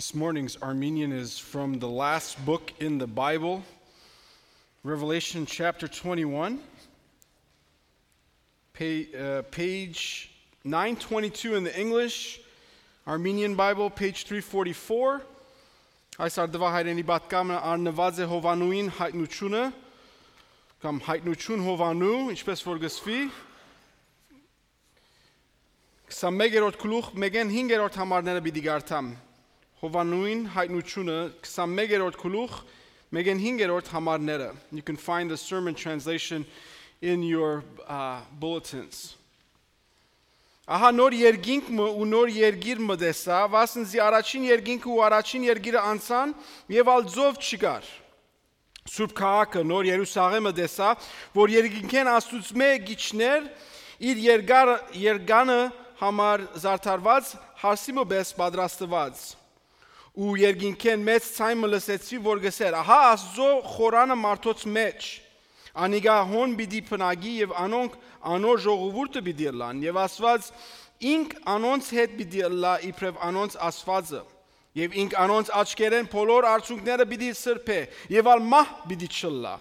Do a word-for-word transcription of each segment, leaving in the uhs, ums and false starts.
This morning's Armenian is from the last book in the Bible, Revelation chapter twenty-one, page, uh, page nine twenty-two in the English, Armenian Bible, page three forty-four. Այս արդվա հայրենի պատկամը արնված է Հովանուին հայտնությունը, կամ հայտնություն Հովանու, ինչպես որ գսվի, քսանմեկերորդ գլուխ մեկեն հինգերորդ համարները պիտի գարտամ։ Հովանուին հայտնությունը քսանմեկերորդ գլուխ մեկեն հինգերորդ համարները։ You can find the sermon translation in your uh, bulletins. Ահա նոր երկինքը ու նոր երկիր մտեսա, վասնզի առաջին երկինքը ու առաջին երկիրը անցան եւ ալ ձով չկար։ Սուրբ քաղաքը նոր Երուսաղեմը տեսա, որ երկինքեն Աստծո գիչներ իր երգար երգանը համար զարդարված հարսիմը բես պատրաստված։ Ու երկինքեն մեծ ցայմը լսեցի, որ գսեր. ահա Աստծո խորանը մարդոց մեջ, անիգա հոն պիտի փնագի եւ անոնք անոր ժողովուրդը պիտի լան եւ Աստված ինք անոնց հետ պիտի լա իբրև անոնց Աստվածը եւ ինք անոնց աչքերեն բոլոր արցունքները պիտի սրբե եւ ալ մահ պիտի չլա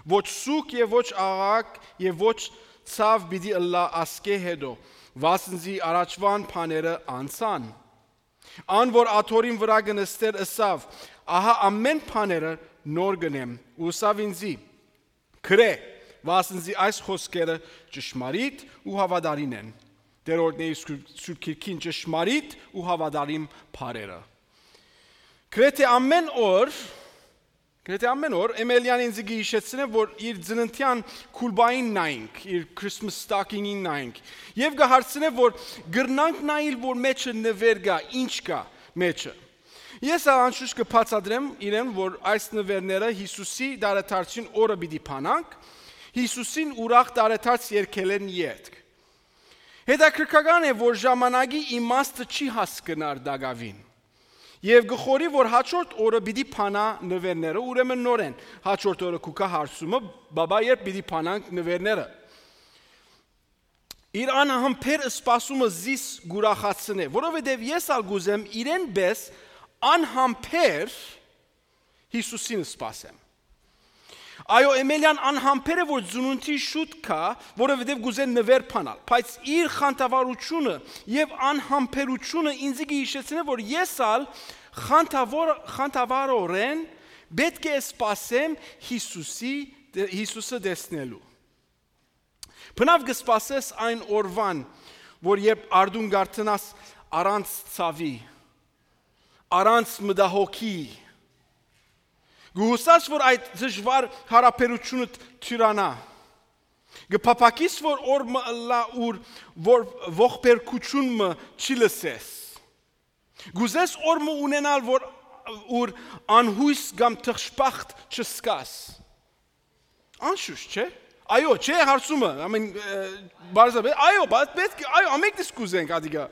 ոչ սուկ եւ ոչ աղակ եւ ոչ ցավ պիտի լա ասկե հետո վասնզի առաջվան բաները անցան ան որ աթորին վրա գնստեր ըսավ ահա ամեն բաները նոր գնեմ ու սավ ինձի քրե վասնզի այս խոսքերը ճշմարիտ ու հավատարիմ են դերորդների Սուրբ Քիրքին ճշմարիտ ու հավատարիմ բառերը Գրեթե ամեն օր գրեթե ամեն օր Էմելյան ինձ գիշեցնե որ իր ծննդյան քուլբային նայինք իր Christmas stocking-ին նայինք եւ գահարցնե որ գրնանք նայիլ որ մեջը նվեր գա ինչ կա մեջը Ես անշուշտ կբացատրեմ իրեն որ այս նվերները Հիսուսի դարեթարցին օրը պիտի փանանք Հիսուսին ուրախ դարեթարց երկելեն յետք Հետաքրքրական է որ ժամանակի իմաստը չի հասկնար դագավին Եվ գխորի որ հաջորդ օրը պիտի փանա նվերները ուրեմն նորեն հաջորդ օրը կուկա հարցումը բաբա երբ պիտի փանանք նվերները Իր անհամբեր սպասումը զիս գուրախացնե որովհետև ես ալ գուզեմ իրեն բես անհամբեր Հիսուսին սպասեմ Այո Էմելյան անհամբեր է որ ծնունդի շուտ կա որովհետև գուզեն նվեր փանալ բայց իր խանդավառությունը եւ անհամբերությունը ինձ գիշեցնե որ ես ալ խանդավոր խանդավառորեն պետք է սպասեմ Հիսուսի Հիսուսը տեսնելու Բնավ կսպասես այն օրվան որ երբ արդուն գարտնաս առանց ցավի առանց մտահոգի Գուհուսած որ այդ դժվար հարաբերությունը թյուրանա Գփապակիս որ օրը լա ուր որ ողբերգությունը չլսես Գուզես օրը ունենալ որ ուր անհույս կամ թղթապախտ չսկաս Անշուշտ չէ Այո չէ հարցումը ամեն բարձրաբե այո բայց պետք այո ամենքս կուզենք ադիգա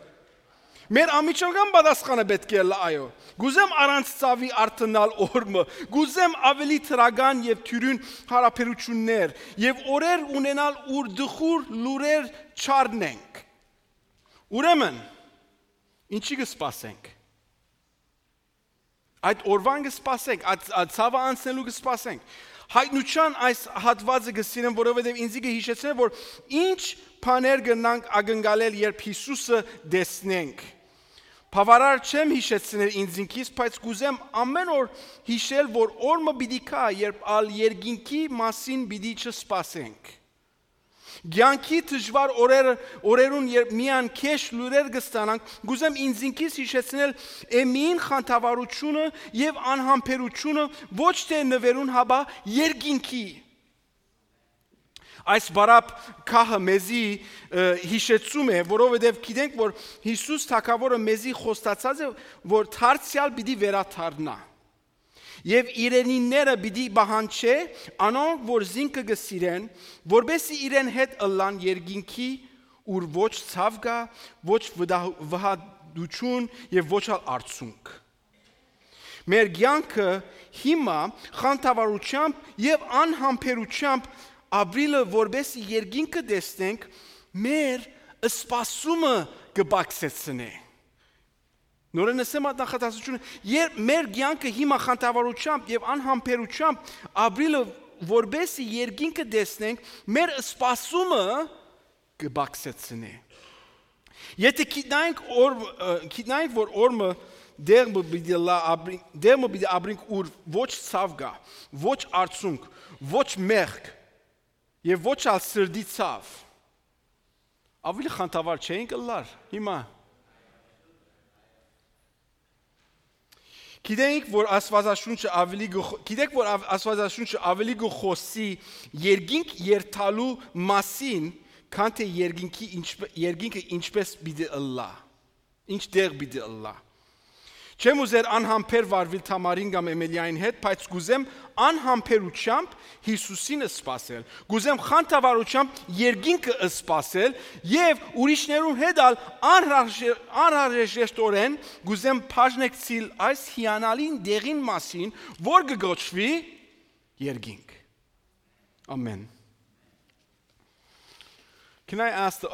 Մեր ամիջական պատասխանը պետք է լա այո Գուզեմ առանց ցավի արտնալ օրը գուզեմ ավելի տրագան եւ թյուրին հարաբերություններ եւ օրեր ունենալ ուր դխուր լուրեր չառնենք Ուրեմն ինչի կսպասենք Այդ օրվան կսպասենք այդ ցավը անցնելու կսպասենք Հայտնության այս հատվածը գսիրեմ որովհետեւ ինձ կհիշեցնե որ ինչ բաներ գնանք ակնկալել երբ Հիսուսը տեսնենք Բավարար չեմ հիշեցնել ինձ ինքիս, բայց կուզեմ ամեն օր հիշել, որ օրը պիտի կա, երբ ալ երկինքի մասին պիտի չսպասենք։ Գյանքի դժվար օրերը օրերուն երբ միան քեշ լուրեր կստանանք, կուզեմ ինձ ինքիս հիշեցնել եմին խանդավառությունը եւ անհամբերությունը ոչ թե նվերուն հաբա երկինքի Այս բարապ քահը մեզի հիշեցում է, որովհետև գիտենք, որ Հիսուս թագավորը մեզի խոստացած է, որ դարձյալ պիտի վերադառնա։ Եվ իրենիները պիտի բահանչե, անոնք որ զինքը գսիրեն, որբեսի իրեն հետ ըլլան երկինքի, ուր ոչ ցավ գա, ոչ վհադություն եւ ոչ ալ արցունք։ Մեր կյանքը հիմա խանդավառությամբ եւ անհամբերությամբ Ապրիլը որբեսի երկինքը տեսնենք մեր սպասումը կբացեցնե Նորեն ասեմ այդ նախատեսությունը, երբ մեր կյանքը հիմա խանդավառությամբ եւ անհամբերությամբ ապրիլը որբեսի երկինքը տեսնենք, մեր սպասումը կբացեցնի։ Եթե գիտնանք օր գիտնանք որ օրը դերմը պիտի լա ապրին, դերմը պիտի ապրենք ուր ոչ ցավ գա, ոչ արցունք, ոչ մեղք եւ ոչ ալ սրդի ցավ։ Ավելի խանդավառ չէինք լար հիմա։ Գիտենք, որ Աստվածաշունչը ավելի գիտեք, որ Աստվածաշունչը ավելի գխոսի երկինք երթալու մասին, քան թե երկինքի երկինքը ինչպես պիտի ըլլա, ինչ դեղ պիտի ըլլա։ Չեմ ուզեր անհամբեր վարվել Թամարին կամ Էմելիային հետ, բայց կուզեմ անհամբերությամբ Հիսուսին սպասել։ Կուզեմ խանդավառությամբ երկինքը սպասել եւ ուրիշներուն հետ ալ անհրաժեշտորեն կուզեմ բաժնեկցիլ այս հիանալին դեղին մասին, որ կգոչվի երկինք։ Amen. Can I ask the